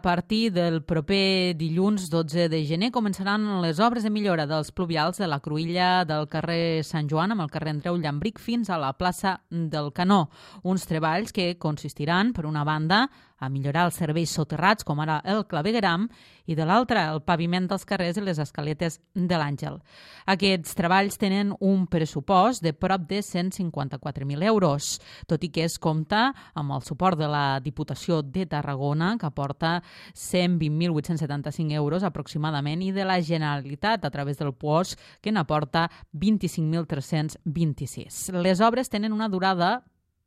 partir del proper dilluns 12 de gener començaran les obres de millora dels pluvials de la cruïlla del carrer Sant Joan amb el carrer Andreu Llambric fins a la plaça del Canó. Uns treballs que consistiran, per una banda, a millorar els serveis soterrats, com ara el clavegueram, i de l'altra, el paviment dels carrers i les escaletes de l'Àngel. Aquests treballs tenen un pressupost de prop de 154.000 euros, tot i que es compta amb el suport de la Diputació de Tarragona, que aporta 120.875 euros aproximadament, i de la Generalitat, a través del POS, que n'aporta 25.326. Les obres tenen una durada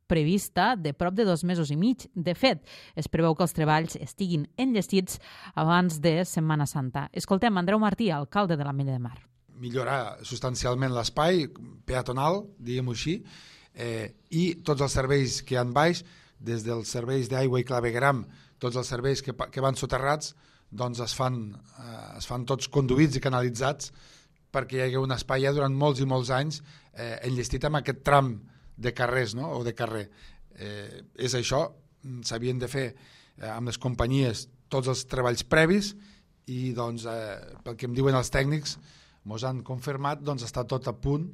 prevista de prop de 2 mesos i mig. De fet, es preveu que els treballs estiguin enllestits abans de Setmana Santa. Escoltem Andreu Martí, alcalde de l'Ametlla de Mar. Millorar substancialment l'espai peatonal, diguem-ho així, i tots els serveis que hi ha baix, des dels serveis d'aigua i clavegueram, tots els serveis que van soterrats, doncs es fan tots conduïts i canalitzats perquè hi hagi un espai ja durant molts i molts anys enllestit amb aquest tram de carrers, no? O de carrer. És això, s'havien de fer amb les companyies tots els treballs previs i doncs, pel que em diuen els tècnics, ens han confirmat, doncs està tot a punt.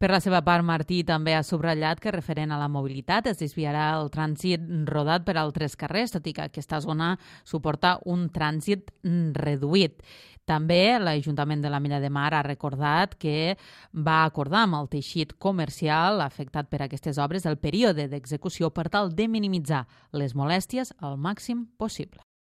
Per la seva part, Martí també ha subratllat que referent a la mobilitat es desviarà el trànsit rodat per altres carrers, tot i que aquesta zona suporta un trànsit reduït. També l'Ajuntament de l'Ametlla de Mar ha recordat que va acordar amb el teixit comercial afectat per aquestes obres el període d'execució per tal de minimitzar les molèsties al màxim possible.